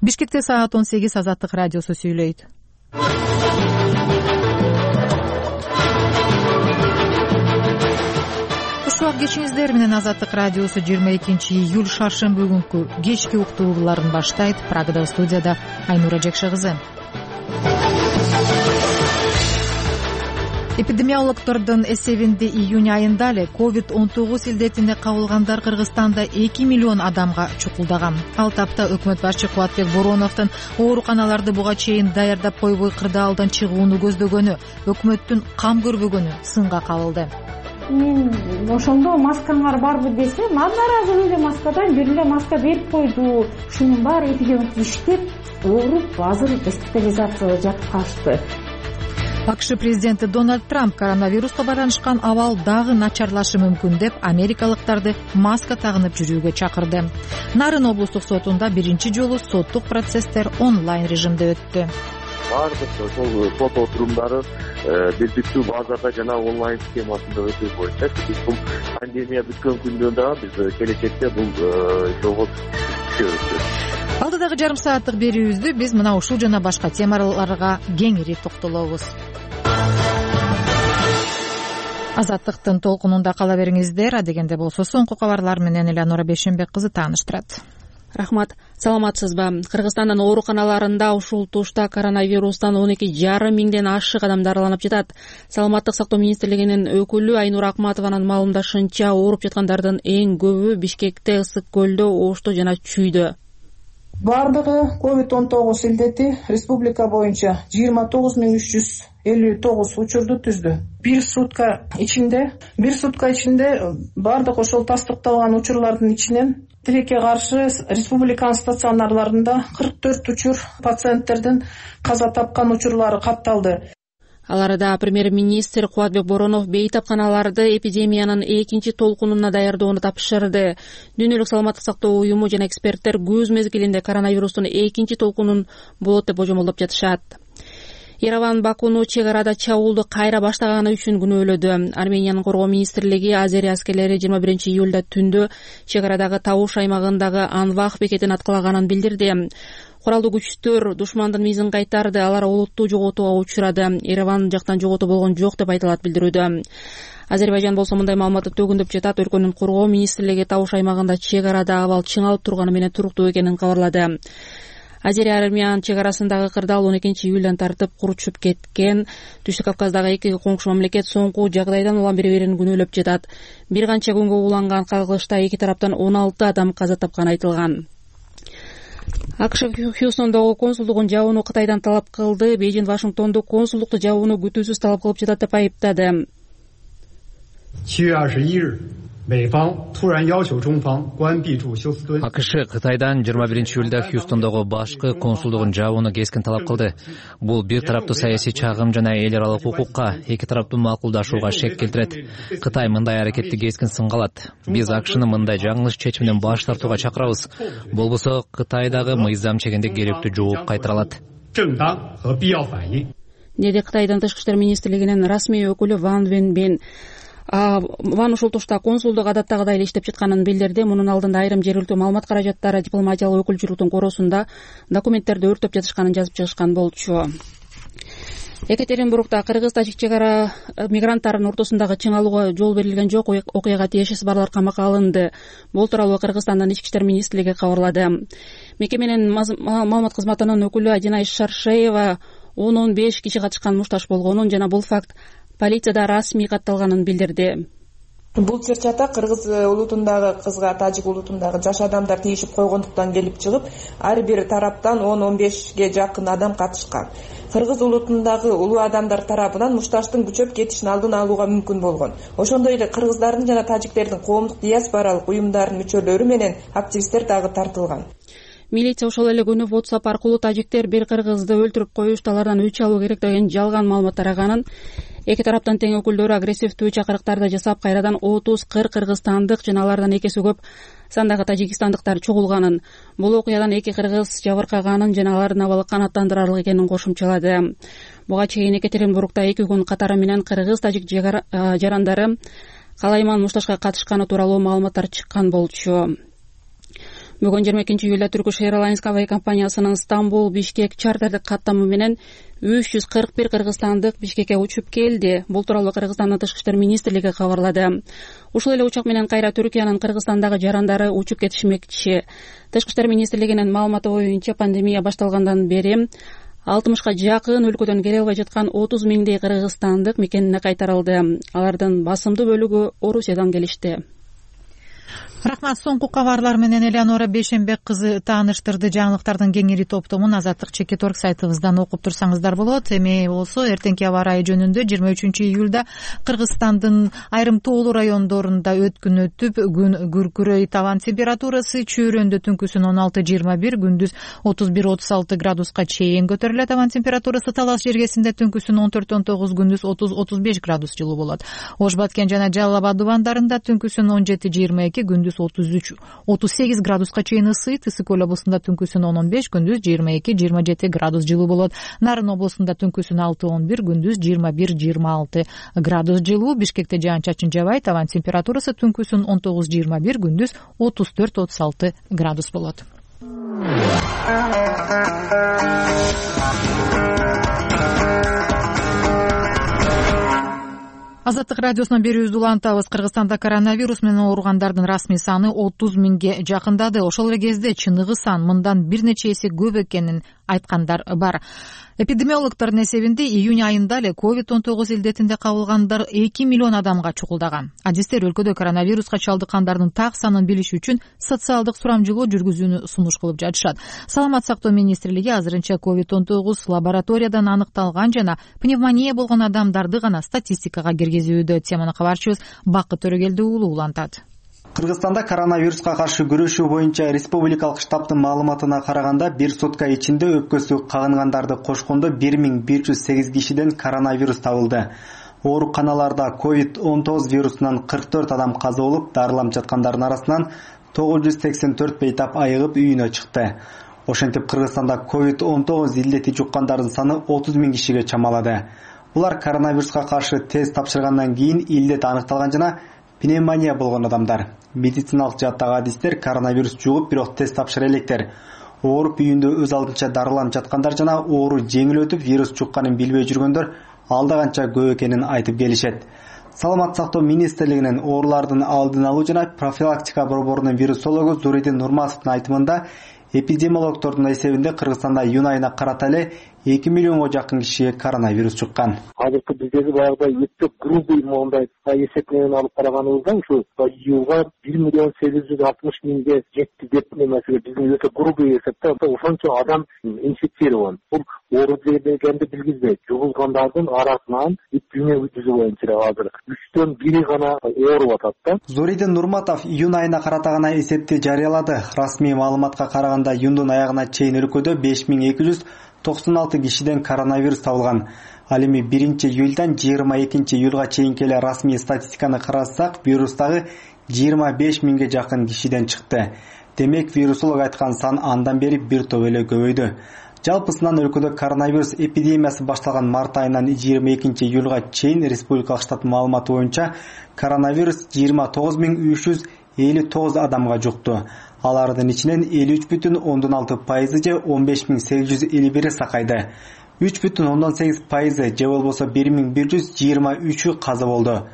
Бишкекте саат 18 Азаттык радиосу сүйлөйт. Кушуак кечиңиздер менен Азаттык радиосу 22 июль шаршемби күнкү кечки уктууларын баштайт. Прагада студияда Айнура Жекше кызы. Эпидемиологдордун эсебинде июнь айында эле COVID-19 илдетине кабылгандар Кыргызстанда 2 миллион адамга чукулдаган. Ал тапта өкмөт башчы Кубатбек Бороновдун ооруканаларды буга чейин даярдап койбой кырдаалдан чыгууну көздөгөнү, өкмөттүн кам көрбөгөнү сынга кабылды. Мен ошондо маскаңар барбы десем, нааразы эле маскадан бир эле маска берип койду. Ушунун баары эпидемиолог иштеп, ооруп, азыр госпитализацияда жатып калышты. АКШ президенти Дональд Трамп коронавируска байланышкан абал дагы начарлашы мүмкүн деп америкалыктарды маска тагынып жүрүүгө чакырды. Нарын облустук сотунда биринчи жолу соттук процесстер онлайн режимде өттү. Бардык ошол сот отурумдары бирдиктүү базада жана онлайн схемасында өтүү боюнча биз бул пандемия бүткөн күндөн дагы биз келечекте бул жолго түшөбүз. Алдыдагы жарым сааттык берүүбүздү биз мына ушул жана башка темаларга кеңири токтолобуз. Азаттыктын толкунунда кала бериңиздер. Адегенде болсо соңку кабарлар менен Элеонора Бейшенбек кызы тааныштырат. Рахмат. Саламатсызбы? Кыргызстандын ооруканаларында ушул тушта коронавирустан 12,5 миңден ашык адам дараланып жатат. Саламаттык сактоо министрлигинин өкүлү Айнура Акматованын маалымдашынча, ооруп жаткандардын эң көбү Бишкекте, Ысык көлдө, Ошто жана Чүйдө. Бардыгы COVID-19 илдети республика боюнча 29,359 учурду түздү. Бир сутка ичинде бардык ошол тастыкталган учурлардын ичинен тилекке каршы республиканын стационарларында 44 учур пациенттердин каза тапкан учурлары катталды. Аларда премьер-министр Кубатбек Боронов бейтапканаларды эпидемиянын экинчи толкунуна даярдоону тапшырды. Дүйнөлүк саламаттык сактоо уюму жана эксперттер көз мезгилинде коронавирустун экинчи толкунун болот деп божомолдоп жатышат. Ереван Бакуну чек арада чабуулду кайра баштаганы үчүн күнөөлөдү. Армениянын коргоо министрлиги Азерия аскерлери 21 июлда түндө чек арадагы Табуш аймагындагы Анвах бекетин аткалаганын билдирди. Куралдуу күчтөр душмандын мизин кайтарды, алар олуттуу жоготууга учурады. Ереван жактан жоготуу болгон жок деп айтылат билдирүүдө. Азербайжан болсо мындай маалыматты төгүндөп жатат. Өлкөнүн коргоо министрлиги Табуш аймагында чек арада абал чыңалып турганы менен туруктуу экенин кабарлады. Азерия Армян чек арасындагы кырдаал 12 июлдан тартып куручуп кеткен. Түштүк Кавказдагы эки коңшу мамлекет соңку жагдайдан улам бири-бирин күнөөлөп жатат. Бир канча күнгө уланган кагылышта эки тараптан 16 адам каза тапканы айтылган. АКШ Хьюстондогу консулдугун жабууну Кытайдан талап кылды. Бейжин Вашингтондо консулдукту жабууну күтүүсүз талап кылып жатат деп айыптады. АКШ Кытайдан 21 июлда Хьюстондогу башкы консулдугун жабууну кескин талап кылды. Бул бир тараптуу саясий чагым жана эл аралык укукка, эки тараптуу макулдашууга шек келтирет. Кытай мындай аракетти кескин сынга алат. Биз АКШны мындай жаңылыш чечимден баш тартууга чакырабыз. Болбосо Кытай дагы мыйзам чегинде керектүү жооп кайтара алат. Деди Кытайдын тышкы иштер министрлигинин расмий өкүлү Ван Венбин. Ван ушул тушта консулдук адаттагыдай эле иштеп жатканын билдирди. Мунун алдында айрым жергиликтүү маалымат каражаттары дипломатиялык өкүлчүлүктүн коросунда документтерди өртөп жатышканын жазып чыгышкан болчу. Екатеринбургда кыргыз-тажик чек ара мигранттарынын ортосундагы чыңалууга жол берилген жок. Окуяга тиешеси барлар камакка алынды. Бул тууралуу Кыргызстандын ички иштер министрлиги кабарлады. Мекеменин маалымат кызматынын өкүлү Адина Шаршеева 10-15 киши катышкан мушташ болгонун жана бул факт полицияда расмий катталганын билдирди. Бул чыр-чата кыргыз улутундагы кызга тажик улутундагы жаш адамдар тийишип койгондуктан келип чыгып, ар бир тараптан 10-15ге жакын адам катышкан. Кыргыз улутундагы улуу адамдар тарабынан мушташтын күчөп кетишин алдын алууга мүмкүн болгон. Ошондой эле кыргыздардын жана тажиктердин коомдук диаспоралык уюмдарынын мүчөлөрү менен активисттер дагы тартылган. Милиция ошол эле күнү WhatsApp аркылуу тажиктер бир кыргызды өлтүрүп коюшту, алардан өч алуу керек деген жалган маалымат тараганын, эки тараптын тең өкүлдөрү агрессивдүү чакырыктарды жасап, кайрадан 30-40 кыргызстандык жана алардан экеси көп сандагы тажикистандыктар чогулганын, бул окуядан эки кыргыз жабыркаганын жана алардын абалы канааттандырарлык экенин кошумчалады. Буга чейин Екатеринбургда 2 күн катары менен кыргыз-тажик жарандары калайман мушташка катышканы тууралуу маалыматтар чыккан болчу. Бүгүн 22-июлда Turkish Airlines авиа компаниясынын Стамбул Бишкек чартердик каттамы менен 341 кыргызстандык Бишкекке учуп келди. Бул тууралуу Кыргызстандын Тышкы иштер министрлиги кабарлады. Ушул эле учак менен кайра Түркиянын Кыргызстандагы жарандары учуп кетишмекчи. Тышкы иштер министрлигинин маалыматы боюнча пандемия башталгандан бери 60га жакын өлкөдөн келе албай жаткан 30 миңдей кыргызстандык мекенине кайтарылды. Алардын басымдуу бөлүгү Орусиядан келишти. Рахмат. Соңку кабарлар менен Элеонора Бейшенбек кызы тааныштырды. Жаңылыктардын кеңири топтомун Азаттык Чекиторг сайтыбыздан окуп турсаңыздар болот. Эми болсо эртеңки аба ырайы жөнүндө 23-июлда Кыргызстандын айрым тоолуу райондорунда өткүн өтүп, күн күркүрөй, табан температурасы чөйрөндө түнкүсүн 16-21, күндүз 31-36 градуска чейин көтөрүлөт. Табан температурасы Талас жергесинде түнкүсүн 14-19, күндүз 30-35 градус жылуу болот. Ош Баткен жана Жалал Абад дубандарында түнкүсүн 17-22, күндүз 33-38 градуска чейин ысыйт. Ысык Көл облусунда түнкүсүн 15, күндүз 22-27 градус жылуу болот. Нарын облусунда түнкүсүн 6-11, күндүз 21-26 градус жылуу. Бишкекте жаан-чачын жабайт. Табан температурасы түнкүсүн 19-21, күндүз 34-36 градус болот. Азаттык радиосунан берүүбүздү улантабыз. Кыргызстанда коронавирус менен ооругандардын расмий саны 30 миңге жакындады. Ошол эле кезде чыныгы сан мындан бир нече эсе көп экенин айткандар бар. Эпидемиологдордун эсебинде июнь айында эле COVID-19 илдетинде кабылгандар 2 миллион адамга чукулдаган. Адистер өлкөдө коронавируска чалдыккандардын так санын билиш үчүн социалдык сурамжылоо жүргүзүүнү сунуш кылып жатышат. Саламат сактоо министрлиги азырынча COVID-19 лабораториядан аныкталган жана пневмония болгон адамдарды гана статистикага киргизүүдө. Теманы кабарчыбыз Бакыт Төрөгелди уулу улантат. Кыргызстанда коронавируска каршы күрөшүү боюнча республикалык штабтын маалыматына караганда, бир сутка ичинде өпкөсү кагынгандарды кошкондо 1108 кишиден коронавирус табылды. Ооруканаларда COVID-19 вирусунан 44 адам каза болуп, дарыланып жаткандардын арасынан 984 бейтап айыгып үйүнө чыкты. Ошентип Кыргызстанда COVID-19 илдети жуккандардын саны 30 миң кишиге чамалады. Булар коронавируска каршы тест тапшыргандан кийин илдет аныкталган жана пневмония болгон адамдар. Медициналык жааттагы адистер коронавирус жугуп, бирок тест тапшыра электер. Ооруп үйүндө өз алдынча дарыланып жаткандар жана оору жеңил өтүп, вирус жукканын билбей жүргөндөр алда канча көп экенин айтып келишет. Саламат сактоо министрлигинин оорулардын алдын алуу жана профилактика борборунун вирусологу Зуридин Нурматовдун айтымында, эпидемиологдордун эсебинде Кыргызстанда июнь айына карата эле 2 миллионго жакын кишиге коронавирус жуккан. Азыркы биздеги баягыдай өтө грубый моундай эсеп менен алып караганыбызда ушу июлга 1 миллион 860 миңге жетти деп эмеси биздин өтө грубый эсепте ошончо адам инфицирован. Бул оору дегенди билгизбейт. Жугулгандардын арасынан эпидемия жүзү боюнча азыр 3төн 1 гана ооруп атат да. Зуридин Нурматов июнь айына карата гана эсепти жарыялады. Расмий маалыматка караганда, июндун аягына чейин өлкөдө 5296 кишиден коронавирус табылган. Ал эми 1-июлдан 22-июлга чейинки эле расмий статистиканы карасак, вирустагы 25 миңге жакын кишиден чыкты. Демек, вирусолог айткан сан андан бери бир топ эле көбөйдү. Жалпысынан өлкөдө коронавирус эпидемиясы башталган март айынан 22-июлга чейин республикалык штат маалыматы боюнча коронавирус 29359 адамга жукту. Алардын ичинен 53,6% же 15851 сакайды. 3,8% же болбосо 1123 каза болду.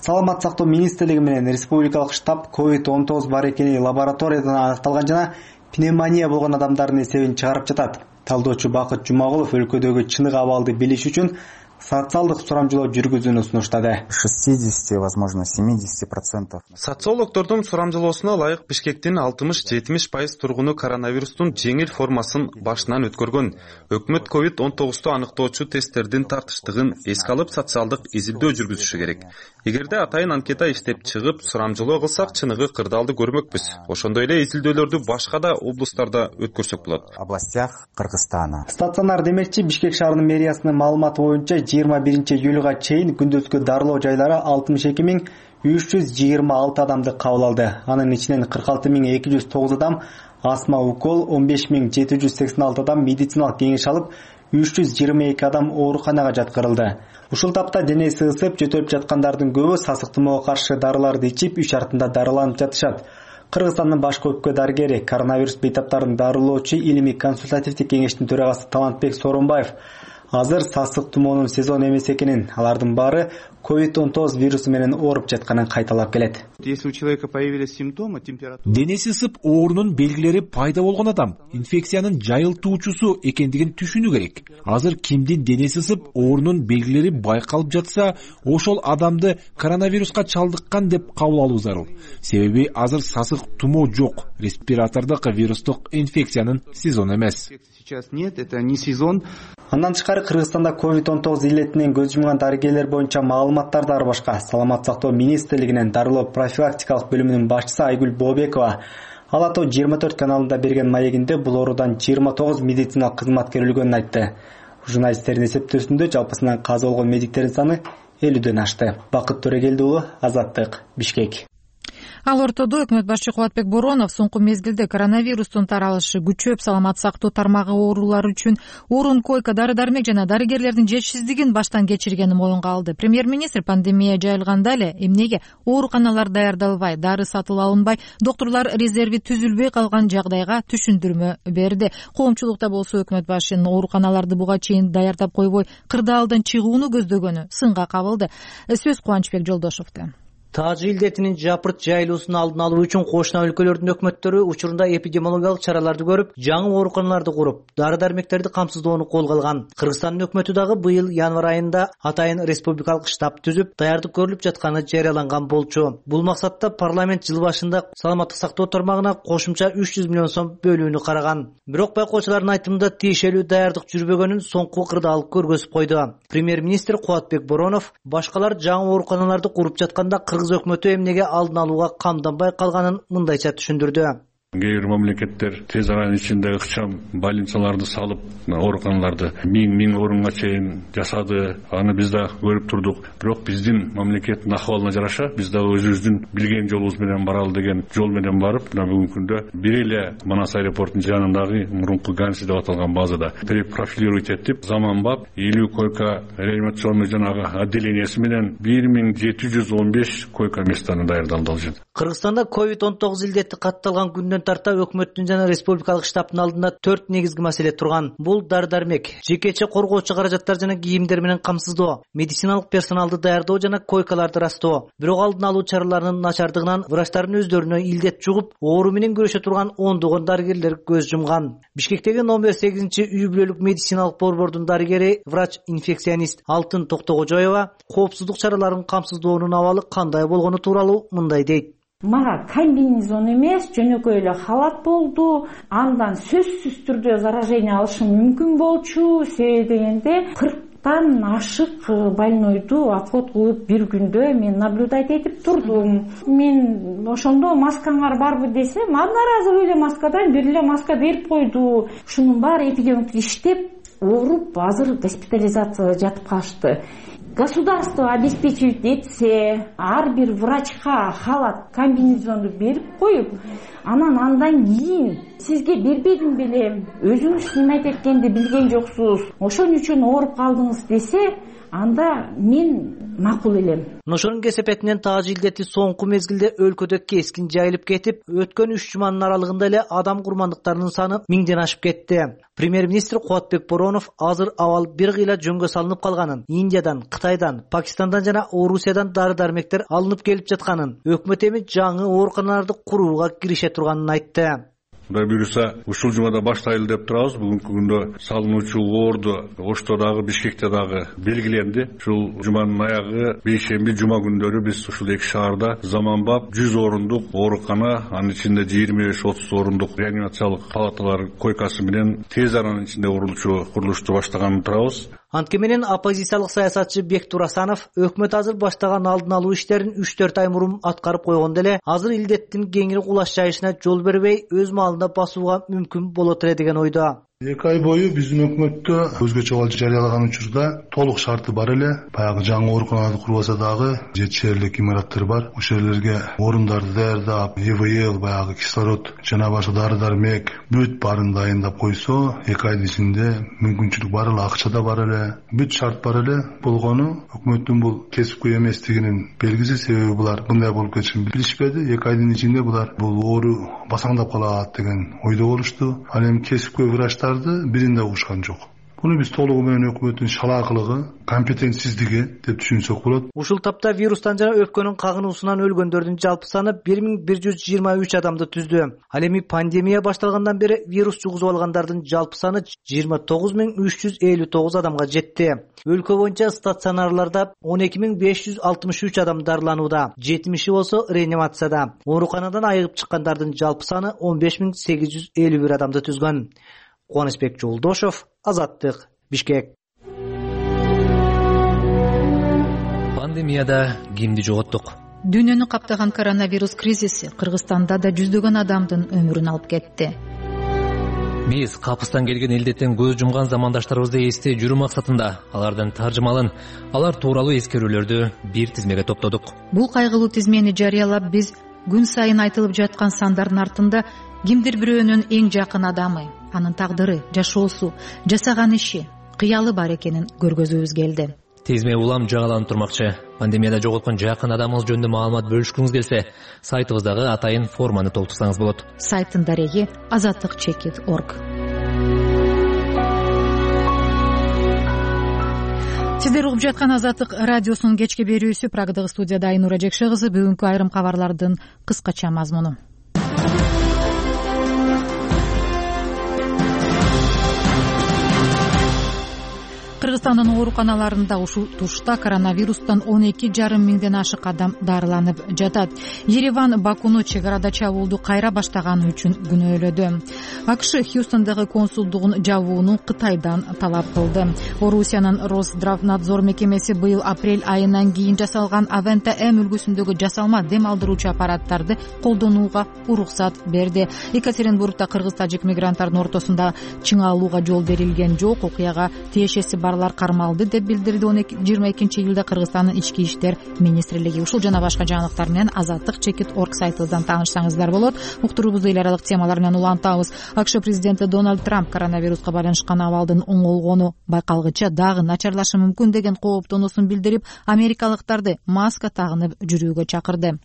Саламат сактоо министрлиги менен республикалык штаб COVID-19 бар экени лабораториядан аныкталган жана пневмония болгон адамдардын эсебин чыгарып жатат. Талдоочу Бакыт Жумагулов өлкөдөгү чыныгы абалды билиш үчүн социалдык сурамжылоо жүргүзүүнү сунуштады. 60, возможно, 70%. Социологдордун сурамжылоосуна ылайык Бишкектин 60-70% тургуну коронавирустун жеңил формасын башынан өткөргөн. Өкмөт COVID-19 аныктоочу тесттердин тартыштыгын эске алып, социалдык изилдөө жүргүзүшү керек. Эгерде атайын анкета иштеп чыгып, сурамжылоо кылсак, чыныгы кырдаалды көрмөкпүз. Ошондой эле изилдөөлөрдү башка да облустарда өткөрсөк болот. Областях Кыргызстана. Стационар демекчи, Бишкек шаарынын мэриясынын маалыматы боюнча 21-июлга чейин күндүзгү дарылоо жайлары 62326 адамды кабыл алды. Анын ичинен 46209 адам астма укол, 15786 адам медициналык кеңеш алып, 322 адам ооруканага жаткырылды. Ушул тапта денеси ысып, жөтөлүп жаткандардын көбү сасык тумоого каршы дарыларды ичип, үй шартында дарыланып жатышат. Кыргызстандын башкы өпкө дарыгери, коронавирус бейтаптарын дарылоочу илимий консультативдик кеңештин төрагасы Талантбек Сооронбаев азыр сасык тумоонун сезону эмес экенин, алардын баары COVID-19 вирусу менен ооруп жатканын кайталап келет. Если у человека появились симптомы, температура... Денеси ысып, оорунун белгилери пайда болгон адам инфекциянын жайылтуучусу экендигин түшүнүү керек. Азыр кимдин денеси ысып, оорунун белгилери байкалып жатса, ошол адамды коронавируска чалдыккан деп кабыл алуу зарыл. Себеби азыр сасык тумоо жок, респиратордук вирустук инфекциянын сезону эмес. Сейчас нет, это не сезон. Андан тышкары Кыргызстанда COVID-19 илетинен көз жумган дарыгерлер боюнча маалыматтар да бар башка. Саламаттык сактоо министрлигинин дарылоо профилактикалык бөлүмүнүн башчысы Айгүл Бообекова Ала Тоо 24 каналында берген маегинде бул оорудан 29 медициналык кызматкер өлгөнүн айтты. Журналисттердин эсептөөсүндө жалпысынан каза болгон медиктердин саны 50дөн ашты. Бакыт Төрөгелди уулу, Азаттык, Бишкек. Ал ортодо өкмөт башчы Кубатбек Боронов соңку мезгилде коронавирустун таралышы күчөп, саламаттык сактоо тармагы оорулары үчүн орун, койка, дары-дармек жана дарыгерлердин жетишсиздигин баштан кечиргенин моюнга алды. Премьер-министр пандемия жайылганда эле эмнеге ооруканалар даярдалбай, дары сатып алынбай, доктурлар резерви түзүлбөй калган жагдайга түшүндүрмө берди. Коомчулукта болсо өкмөт башчынын ооруканаларды буга чейин даярдап койбой, кырдаалдан чыгууну көздөгөнү сынга кабылды. Сөз Кубанычбек Жолдошовдо. Таажы илдетинин жапырт жайылуусун алдын алуу үчүн кошуна өлкөлөрдүн өкмөттөрү учурунда эпидемиологиялык чараларды көрүп, жаңы ооруканаларды куруп, дары-дармектерди камсыздоону колго алган. Кыргызстандын өкмөтү дагы быйыл январь айында атайын республикалык штаб түзүп, даярдык көрүлүп жатканы жарыяланган болчу. Бул максатта парламент жыл башында саламаттык сактоо тармагына кошумча 300 миллион сом бөлүүнү караган. Бирок байкоочулардын айтымында тиешелүү даярдык жүрбөгөнүн соңку кырдаал көргөзүп койду. Премьер-министр Кубатбек Боронов башкалар жаңы ооруканаларды куруп жатканда Кыргыз өкмөтү эмнеге алдын алууга камданбай калганын мындайча түшүндүрдү. Кээ бир мамлекеттер тез аранын ичинде ыкчам больницаларды салып, ооруканаларды миң орунга чейин жасады. Аны биз да көрүп турдук. Бирок биздин мамлекеттин ахыбалына жараша биз да өзүбүздүн билген жолубуз менен баралы деген жол менен барып, мына бүгүнкү күндө бир эле Манас аэропортунун жанындагы мурунку Ганси деп аталган базада перепрофилировать этип, заманбап 50 койка реанимационный жанагы отделениясы менен 1715 койка местаны даярдалды ал жерде. Кыргызстанда COVID-19 илдети катталган күндөн тарта өкмөттүн жана республикалык штабтын алдында 4 негизги маселе турган. Бул дары-дармек, жекече коргоочу каражаттар жана кийимдер менен камсыздоо, медициналык персоналды даярдоо жана койкаларды ырастоо. Бирок алдын алуу чараларынын начардыгынан врачтардын өздөрүнө илдет жугуп, оору менен күрөшө турган ондогон дарыгерлер көз жумган. Бишкектеги номер 8 үй бүлөлүк медициналык борбордун дарыгери, врач-инфекционист Алтын Токтогожоева коопсуздук чараларын камсыздоонун абалы кандай болгону тууралуу мындай дейт. Мага комбинезон эмес, жөнөкөй эле халат болду. Андан сөзсүз түрдө заражение алышым мүмкүн болчу. Себеби дегенде 40тан ашык больнойду отход кылып бир күндө мен наблюдать этип турдум. Мен ошондо маскаңар барбы десем, одноразовый эле маскадан бир эле маска берип койду. Ушунун баары эпидемиология иштеп, ооруп, азыр госпитализацияда жатып калышты. Государство обеспечивать этсе, ар бир врачка халат, комбинезонду берип коюп, андан кийин сизге бербедим белем, өзүңүз неме эткенди билген жоксуз, ошон үчүн ооруп калдыңыз десе, анда мен макул элем. Ошонун кесепетинен таажы илдети соңку мезгилде өлкөдө кескин жайылып кетип, өткөн 3 жуманын аралыгында эле адам курмандыктарынын саны 1000ден ашып кетти. Премьер-министр Кубатбек Боронов азыр абал бир кыйла жөнгө салынып калганын, Индиядан, Кытайдан, Пакистандан жана Орусиядан дары-дармектер алынып келип жатканын, өкмөт эми жаңы ооруканаларды курууга кирише турганын айтты. Кудай буюрса, ушул жумада баштайлы деп турабыз. Бүгүнкү күндө салынуучу оорду Ошто дагы, Бишкекте дагы белгиленди. Ушул жуманын аягы бейшемби, жума күндөрү биз ушул эки шаарда заманбап 100 орундук оорукана, анын ичинде 25-30 орундук реанимациялык палаталар койкасы менен тез аранын ичинде курулушту баштаганын турабыз. Антке менен оппозициялык саясатчы Бектур Асанов өкмөт азыр баштаган алдын алуу иштерин 3-4 ай мурун аткарып койгондо эле азыр илдеттин кеңири кулаш жайышына жол бербей өз маалында басууга мүмкүн болот эле деген ойдо. 2 ай бою биздин өкмөттө өзгөчө абал жарыялаган учурда толук шарты бар эле. Баягы жаңы ооруканаларды курбаса дагы 7 шээрлик имараттар бар. Ошол жерлерге орундарды даярдап, ИВЛ, баягы кислород жана башка дары-дармек бүт баарын дайындап койсо, 2 айдын ичинде мүмкүнчүлүк бар эле, акча да бар эле, бүт шарт бар эле. Болгону өкмөттүн бул кесипкөй эместигинин белгиси, себеби булар мындай болуп кетишин билишпеди. 2 айдын ичинде булар бул оору басаңдап калат деген ойдо болушту. Ал эми кесипкөй врачтар бирин да угушкан жок. Буну биз толугу менен өкмөттүн шалаакылыгы, компетентсиздиги деп түшүнсөк болот. Ушул тапта вирустан жана өпкөнүн кагынуусунан өлгөндөрдүн жалпы саны 1123 адамды түздү. Ал эми пандемия башталгандан бери вирус жугузуп алгандардын жалпы саны 29359 адамга жетти. Өлкө боюнча стационарларда 12563 адам дарыланууда, 70 болсо реанимацияда. Ооруканадан айыгып чыккандардын жалпы саны 15851 адамды түзгөн. Кубанычбек Жолдошов, Азаттык, Бишкек. Пандемияда кимди жоготтук? Дүйнөнү каптаган коронавирус кризиси Кыргызстанда да жүздөгөн адамдын өмүрүн алып кетти. Биз капыстан келген илдеттен көз жумган замандаштарыбызды эстей жүрүү максатында алардын таржымалын, алар тууралуу эскерүүлөрдү бир тизмеге топтодук. Бул кайгылуу тизмени жарыялап биз күн сайын айтылып жаткан сандардын артында кимдир бирөөнүн эң жакын адамы, анын тагдыры, жашоосу, жасаган иши, кыялы бар экенин көргөзүүбүз келди. Тизме улам жагаланып турмакчы. Пандемияда жоготкон жакын адамыңыз жөнүндө маалымат бөлүшкүңүз келсе, сайтыбыздагы атайын форманы толтурсаңыз болот. Сайттын дареги azatlyk.org. Сиздер угуп жаткан Азаттык радиосунун кечки берүүсү. Прагадагы студияда Айнура Жекше кызы. Бүгүнкү айрым кабарлардын кыскача мазмуну. Кыргызстандын ооруканаларында ушул тушта коронавирустан 12,5 миңден ашык адам дарыланып жатат. Ереван Бакуну чек арада чабуулду кайра баштаганы үчүн күнөөлөдү. АКШ Хьюстондагы консулдугун жабууну Кытайдан талап кылды. Орусиянын Росздравнадзор мекемеси быйыл апрель айынан кийин жасалган Авента М үлгүсүндөгү жасалма дем алдыруучу аппараттарды колдонууга уруксат берди. Екатеринбургда кыргыз-тажик мигранттардын ортосунда чыңалууга жол берилген жок. Окуяга тиешеси барлар кармалды деп билдирди 22-июлда Кыргызстандын ички иштер министрлиги. Ушул жана башка жаңылыктар менен azatlyk.org сайтыбыздан таанышсаңыздар болот. Уктуруубузду эл аралык темалар менен улантабыз. АКШ президенти Дональд Трамп коронавируска байланышкан абалдын оңолгону байкалгыча дагы начарлашы мүмкүн деген кооптонуусун билдирип, америкалыктарды маска тагынып жүрүүгө чакырды.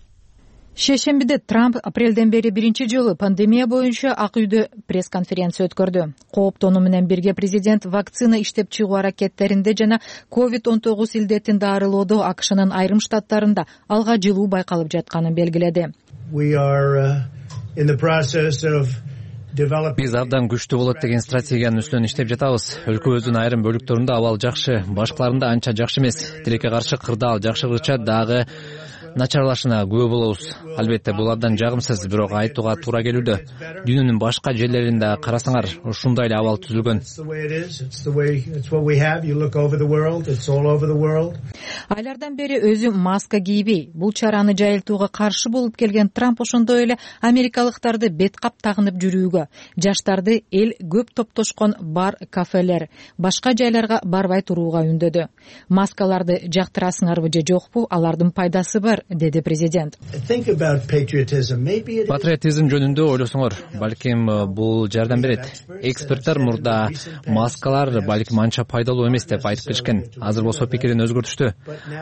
Шейшембиде Трамп апрелден бери биринчи жолу пандемия боюнча Ак үйдө пресс-конференция өткөрдү. Кооптонуу менен бирге президент вакцина иштеп чыгуу аракеттеринде жана COVID-19 илдетин дарылоодо АКШнын айрым штаттарында алга жылуу байкалып жатканын белгиледи. Биз абдан күчтүү болот деген стратегиянын үстүнөн иштеп жатабыз. Өлкөбүздүн айрым бөлүктөрүндө абал жакшы, башкаларында анча жакшы эмес. Тилекке каршы кырдаал жакшыргыча дагы начарлашына күбө болобуз. Албетте бул абдан жагымсыз, бирок айтууга туура келүүдө. Дүйнөнүн башка жерлеринде карасаңар ушундай эле абал түзүлгөн. Айлардан бери өзү маска кийбей, бул чараны жайылтууга каршы болуп келген Трамп ошондой эле америкалыктарды бет кап тагынып жүрүүгө, жаштарды эл көп топтошкон бар, кафелер, башка жайларга барбай турууга үндөдү. Маскаларды жактырасыңарбы же жокпу, алардын пайдасы бар, деди президент. Патриотизм жөнүндө ойлосоңор, балким бул жардам берет. Эксперттер мурда маскалар балким анча пайдалуу эмес деп айтып келишкен. Азыр болсо пикирин өзгөртүштү.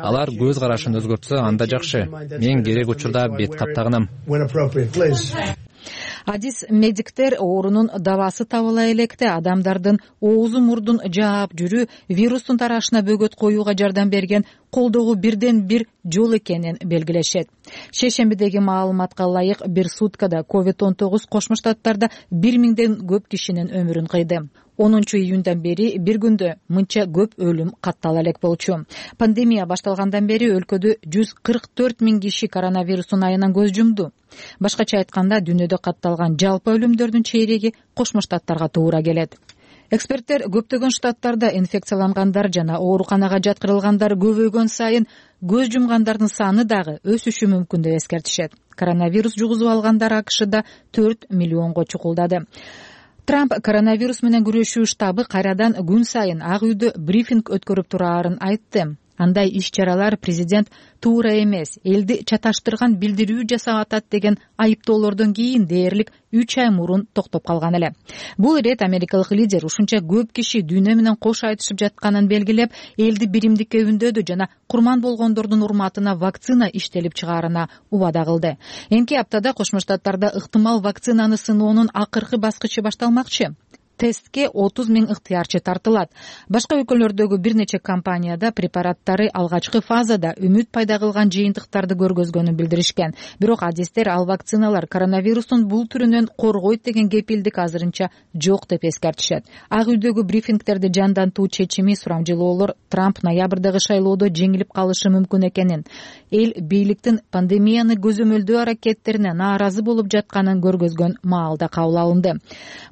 Алар көз карашын өзгөртсө анда жакшы. Мен керек учурда бет кап тагынам. Адис медиктер оорунун дабасы табыла электе адамдардын оозу мурдун жаап жүрүү вирустун тарашына бөгөт коюуга жардам берген колдогу бирден бир жол экенин белгилешет. Шейшембидеги маалыматка ылайык бир суткада COVID-19 Кошмо Штаттарда 1000ден көп кишинин өмүрүн кыйды. 10-июндан бери бир күндө мынча көп өлүм каттала элек болчу. Пандемия башталгандан бери өлкөдө 144 000 киши коронавирустун айынан көз жумду. Башкача айтканда, дүйнөдө катталган жалпы өлүмдөрдүн чейреги Кошмо Штаттарга туура келет. Эксперттер көптөгөн штаттарда инфекциялангандар жана ооруканага жаткырылгандар көбөйгөн сайын көз жумгандардын саны дагы өсүшү мүмкүн деп эскертишет. Коронавирус жугузуп алгандар АКШда 4 миллионго чукулдады. Трамп коронавирус менен күрөшүү штабы кайрадан күн сайын Ак үйдө брифинг өткөрүп турарын айтты. Андай иш-чаралар президент туура эмес, элди чаташтырган билдирүү жасап атат деген айыптоолордон кийин дээрлик 3 ай мурун токтоп калган эле. Бул ирет америкалык лидер ушунча көп киши дүйнө менен кош айтышып жатканын белгилеп, элди биримдикке үндөдү жана курман болгондордун урматына вакцина иштелип чыгаарына убада кылды. Эмки аптада Кошмо Штаттарда ыктымал вакцинаны сыноонун акыркы баскычы башталмакчы. Тестке 30 000 ыктыярчы тартылат. Башка өлкөлөрдөгү бир нече компанияда препараттары алгачкы фазада үмүт пайда кылган жыйынтыктарды көргөзгөнүн билдиришкен. Бирок адистер ал вакциналар коронавирустун бул түрүнөн коргойт деген кепилдик азырынча жок деп эскертишет. Ак үйдөгү брифингтерди жандантуу чечими сурамжылоолор Трамп ноябрдагы шайлоодо жеңилип калышы мүмкүн экенин, эл бийликтин пандемияны көзөмөлдөө аракеттерине нааразы болуп жатканын көргөзгөн маалда кабыл алынды.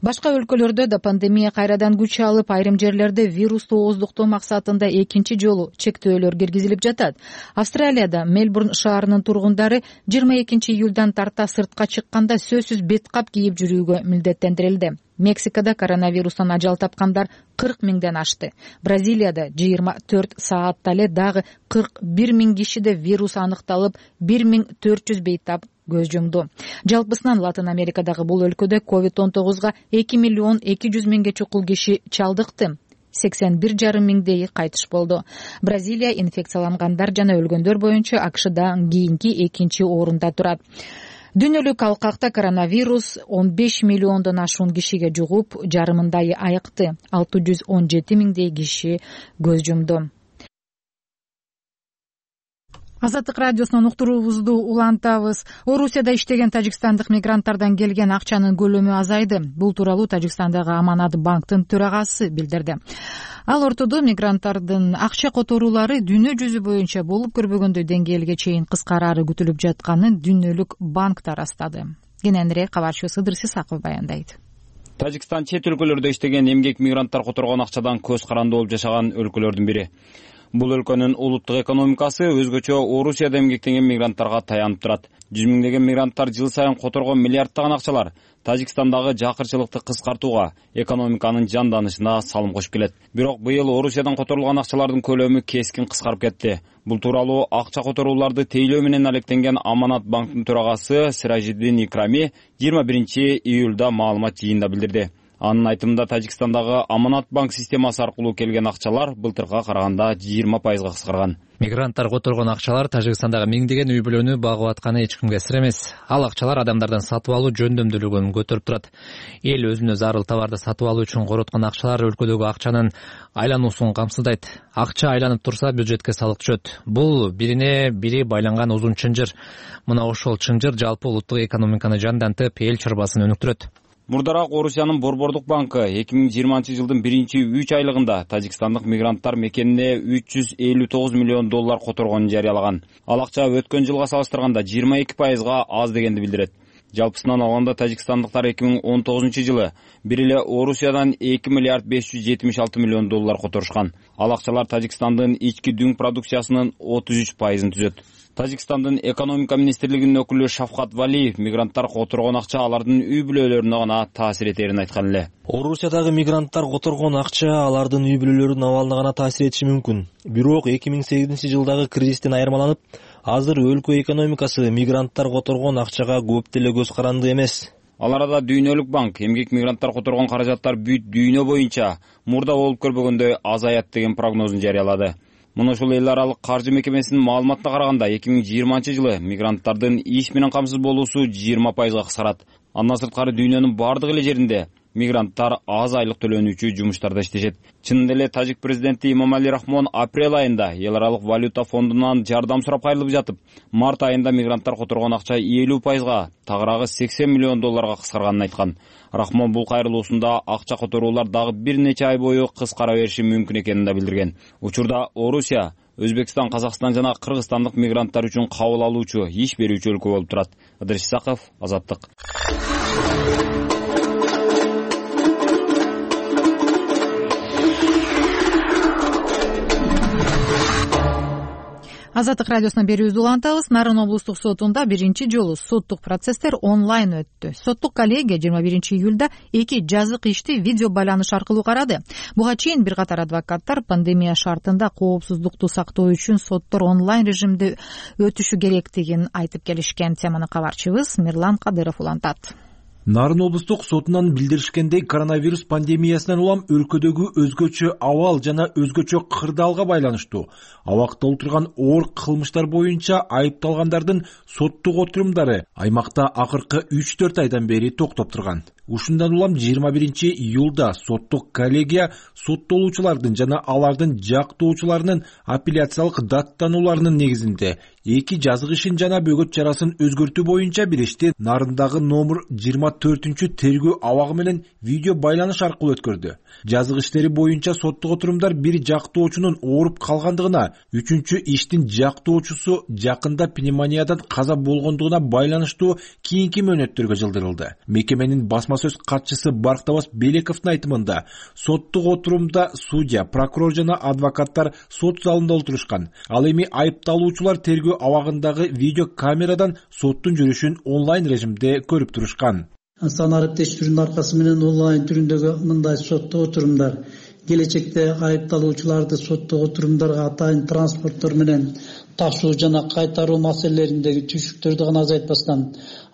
Башка өлкөлөрдө пандемия кайрадан күч алып, айрым жерлерде вирусту ооздуктоо максатында экинчи жолу чектөөлөр киргизилип жатат. Австралияда Мельбурн шаарынын тургундары 22 июлдан тарта сыртка чыкканда сөзсүз беткап кийип жүрүүгө милдеттендирилди. Мексикада коронавирустан ажал тапкандар 40 000ден ашты. Бразилияда 24 саатта эле дагы 41 000 кишиде вирус аныкталып, 1400 бейтап көз жумду. Жалпысынан Латын Америкадагы бул өлкөдө COVID-19 2 200 000 чукул киши чалдыкты. 81,5 миңдейи кайтыш болду. Бразилия инфекциялангандар жана өлгөндөр боюнча АКШдан кийинки экинчи орунда турат. Дүйнөлүк алкакта коронавирус 15 миллиондон ашуун кишиге жугуп, жарымындай айыкты. 617 миңдей киши көз жумду. Азаттык радиосунун уктуруубузду улантабыз. Орусияда иштеген тажикстандык мигранттардан келген акчанын көлөмү азайды. Бул тууралуу Тажикстандагы Аманат банктын төрагасы билдирди. Ал ортодо мигранттардын акча которуулары дүйнө жүзү боюнча болуп көрбөгөндөй деңгээлге чейин кыскарары күтүлүп жатканын Дүйнөлүк банк тарастады. Кененирээк кабарчы Сыдыр Сисаков баяндайт. Тажикстан чет өлкөлөрдө иштеген эмгек мигранттар которгон акчадан көз каранды болуп жашаган өлкөлөрдүн бири. Бул өлкөнүн улуттук экономикасы өзгөчө Орусияда эмгектенген мигранттарга таянып турат. 100 миңдеген мигранттар жыл сайын которгон миллиарддаган акчалар Тажикстандагы жакырчылыкты кыскартууга, экономиканын жанданышына салым кошуп келет. Бирок быйыл Орусиядан которулган акчалардын көлөмү кескин кыскарып кетти. Бул тууралуу акча которууларды тейлөө менен алектенген Аманат банктын төрагасы Сиражиддин Икрами 21 июлда маалымат жыйында билдирди. Анын айтымында Тажикстандагы Аманат банк системасы аркылуу келген акчалар былтырга караганда 20% кыскарган. Мигранттар которгон акчалар Тажикстандагы миңдеген үй бүлөнү багып атканы эч кимге сыр эмес. Ал акчалар адамдардан сатып алуу жөндөмдүүлүгүн көтөрүп турат. Эл өзүнө зарыл товарды сатып алуу үчүн короткон акчалар өлкөдөгү акчанын айлануусун камсыздайт. Акча айланып турса бюджетке салык түшөт. Бул бирине бири байланган узун чынжыр. Мына ошол чынжыр жалпы улуттук экономиканы жандантып, эл чарбасын өнүктүрөт. Мурдараак Орусиянын Борбордук банкы 2020 жылдын 1-3 айлыгында тажикстандык мигранттар мекенине $359 миллион которгонун жарыялаган. Ал акча өткөн жылга салыштырганда 22%га аз дегенди билдирет. Жалпысынан алганда тажикстандыктар 2019 жылы бир эле Орусиядан $2,576 миллион которушкан. Ал акчалар Тажикстандын ички дүң продукциясынын 33%ын түзөт. Тажикстандын экономика министрлигинин өкүлү Шафкат Валиев мигранттар которгон акча алардын үй бүлөлөрүнө гана таасир этерин айткан эле. Орусиядагы мигранттар которгон акча алардын үй бүлөлөрүнүн абалына гана таасир этиши мүмкүн. Бирок 2008 жылдагы кризистен айырмаланып, азыр өлкө экономикасы мигранттар которгон акчага көп деле көз каранды эмес. Ал арада Дүйнөлүк банк эмгек мигранттар которгон каражаттар бүт дүйнө боюнча мурда болуп көрбөгөндөй азаят деген прогнозун жарыялады. Муну ушул эл аралык каржы мекемесинин маалыматына караганда 2020 жылы мигранттардын иш менен камсыз болуусу 20%га кыскарат. Андан сырткары дүйнөнүн бардык эле жеринде мигранттар аз айлык төлөнүүчү жумуштарда иштешет. Чынында эле тажик президенти Имомали Рахмон апрель айында эл аралык валюта фондунан жардам сурап кайрылып жатып, март айында мигранттар которгон акча 50%га, тагыраагы $80 миллион кыскарганын айткан. Рахмон бул кайрылуусунда акча которуулар дагы бир нече ай бою кыскара бериши мүмкүн экенин да билдирген. Учурда Орусия, Өзбекстан, Казакстан жана Кыргызстандык мигранттар үчүн кабыл алуучу, иш берүүчү өлкө болуп турат. Сыдыр Сисаков, Азаттык. Азаттык радиосуна берүүбүздү улантабыз. Нарын облустук сотунда биринчи жолу соттук процесстер онлайн өттү. Соттук коллегия 21 июлда 2 жазык ишти видео байланыш аркылуу карады. Буга чейин бир катар адвокаттар пандемия шартында коопсуздукту сактоо үчүн соттор онлайн режимде өтүшү керектигин айтып келишкен. Теманы кабарчыбыз Мирлан Кадыров улантат. Нарын облустук сотунан билдиришкендей, коронавирус пандемиясынан улам өлкөдөгү өзгөчө абал жана өзгөчө кырдаалга байланыштуу абакта отурган оор кылмыштар боюнча айыпталгандардын соттук отурумдары аймакта акыркы 3-4 айдан бери токтоп турган. Ушундан улам 21 июлда соттук коллегия соттолуучулардын жана алардын жактоочуларынын апелляциялык даттанууларынын негизинде 2 жазык ишин жана бөгөт чарасын өзгөртүү боюнча биришти. Нарындагы номер 24-тергөө абагы менен видео байланыш аркылуу өткөрдү. Жазык иштери боюнча соттук отурумдар бир жактоочунун ооруп калгандыгына, 3-чү иштин жактоочусу жакында пневмониядан каза болгондугуна байланыштуу кийинки мөөнөттөргө жылдырылды. Мекеменин басма сөз катчысы Барктабас Белековдун айтымында, соттук отурумда судья, прокурор жана адвокаттар сот залында отурушкан. Ал эми айыпталуучулар тергөө абагындагы видео камерадан соттун жүрүшүн онлайн режимде көрүп турушкан. Санарип тештирүүнүн аркасы менен онлайн түрүндөгү мындай соттук отурумдар келечекте айыпталуучуларды соттук отурумдарга атайын транспорттор менен ташуу жана кайтаруу маселелериндеги түйшүктөрдү гана азайтпастан,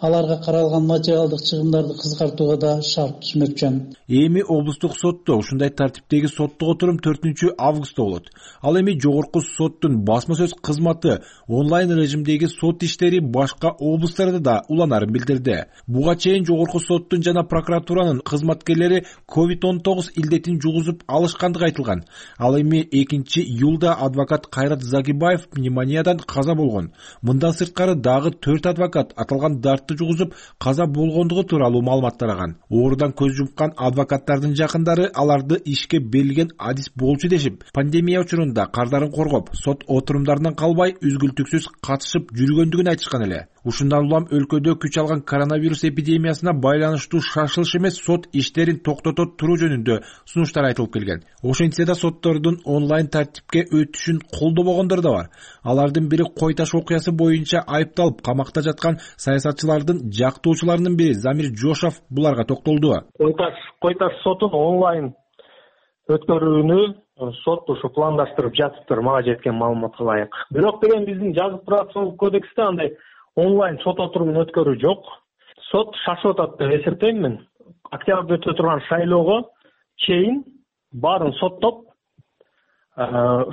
аларга каралган материалдык чыгымдарды кыскартууга да шарт түзмөкчү. Эми облустук сотто ушундай тартиптеги соттук отурум 4 августта болот. Ал эми жогорку соттун басма сөз кызматы онлайн режимдеги сот иштери башка облустарда да уланарын билдирди. Буга чейин жогорку соттун жана прокуратуранын кызматкерлери COVID-19 илдетин жугузуп алышкандыгы айтылган. Ал эми 2 июлда адвокат Кайрат Загибаев пневмониядан каза болгон. Мындан сырткары дагы 4 адвокат аталган дартты жугузуп каза болгондугу тууралуу маалымат тараган. Оорудан көз жумкан адвокаттардын жакындары аларды ишке берилген адис болчу дешип, пандемия учурунда кардарын коргоп, сот отурумдарынан калбай үзгүлтүксүз катышып жүргөндүгүн айтышкан эле. Ушундан улам өлкөдө күч алган коронавирус эпидемиясына байланыштуу шашылыш эмес сот иштерин токтото туруу жөнүндө сунуштар айтылып келген. Ошентсе да соттордун онлайн тартипке өтүшүн колдобогондор да бар. Алардын бири Кой Таш окуясы боюнча айыпталып камакта жаткан саясатчылардын жактоочуларынын бири Замир Жошов буларга токтолду. Кой Таш сотун онлайн өткөрүүнү сот ушу пландаштырып жатыптыр, мага жеткен маалыматка ылайык. Бирок деген биздин жазык процессуалдык кодексте андай онлайн сот отурумун өткөрүү жок. Сот шашып атат деп эсептейм мен. Октябрда өтө турган шайлоого чейин баарын соттоп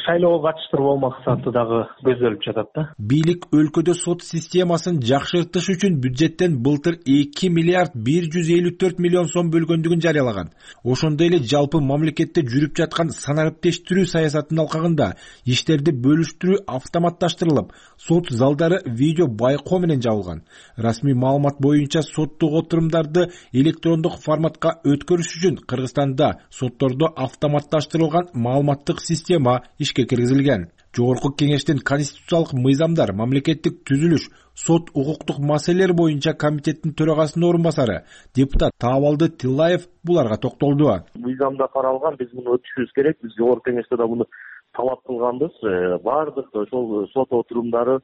шайлоого катыштыруу максаты дагы көзделип жатат да. Бийлик өлкөдө сот системасын жакшыртыш үчүн бюджеттен былтыр 2 миллиард 154 миллион сом бөлгөндүгүн жарыялаган. Ошондой эле жалпы мамлекетте жүрүп жаткан санариптештирүү саясатынын алкагында иштерди бөлүштүрүү автоматташтырылып, сот залдары видео байкоо менен жабылган. Расмий маалымат боюнча соттук отурумдарды электрондук форматка өткөрүш үчүн Кыргызстанда соттордо автоматташтырылган маалыматтык система ишке киргизилген. Жогорку кеңештин конституциялык мыйзамдар, мамлекеттик түзүлүш, сот укуктук маселелер боюнча комитеттин төрагасынын орун басары депутат Таабалды Тиллаев буларга токтолду. Мыйзамда каралган, биз муну өтүшүбүз керек. Биз жогорку кеңеште да муну талап кылганбыз. Бардык ошол сот отурумдары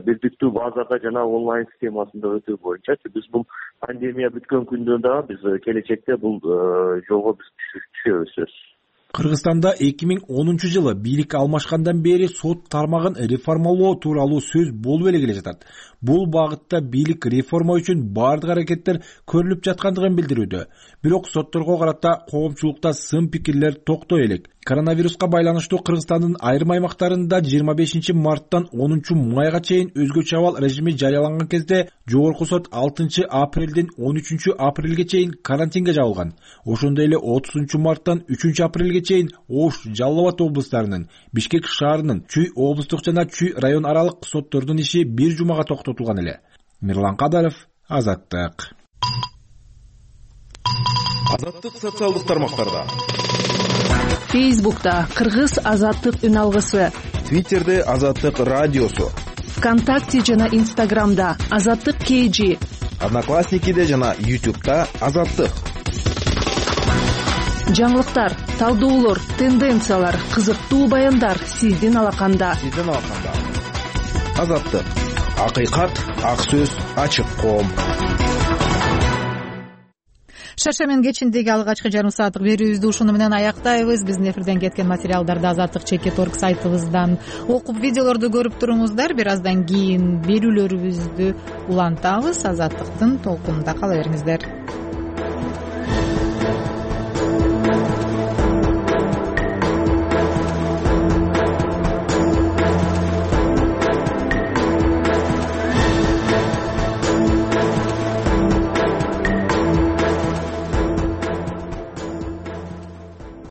бирдиктүү базада жана онлайн системасында өтүү боюнча биз бул пандемия бүткөн күндө да биз келечекте бул жолго биз түшөбүз. Кыргызстанда 2010 жылы бийлик алмашкандан бери сот тармагын реформалоо тууралуу сөз болуп эле келе жатат. Бул багытта бийлик реформа үчүн бардык аракеттер көрүлүп жаткандыгын билдирүүдө. Бирок сотторго карата коомчулукта сын пикирлер токтой элек. Коронавируска байланыштуу Кыргызстандын айрым аймактарында 25 марттан 10 майга чейин өзгөчө абал режими жарыяланган кезде жогорку сот 6 апрелден 13 апрелге чейин карантинге жабылган. Ошондой эле 30 марттан 3 апрелге чейин Ош, Жалал Абад облустарынын, Бишкек шаарынын Чүй облустук жана Чүй район аралык соттордун иши бир жумага токтотулган эле. Мирлан Кадаров, Азаттык. Азаттык социалдык тармактарда. Фейсбукта Кыргыз Азаттык үн алгысы. Твиттерде Азаттык радиосу. ВКонтакте жана Инстаграмда Азаттык KG. Одноклассникиде жана YouTube'да Азаттык. Жаңылыктар, талдоолор, тенденциялар, кызыктуу баяндар сиздин алаканда. Азаттык. Акыйкат, ак сөз, ачык коом. Шаршемин кечиндеги алгачкы жарым сааттык берүүбүздү ушуну менен аяктайбыз. Биздин эфирден кеткен материалдарды azattik.org сайтыбыздан окуп, видеолорду көрүп туруңуздар. Бир аздан кийин берүүлөрүбүздү улантабыз. Азаттыктын толкунунда кала бериңиздер.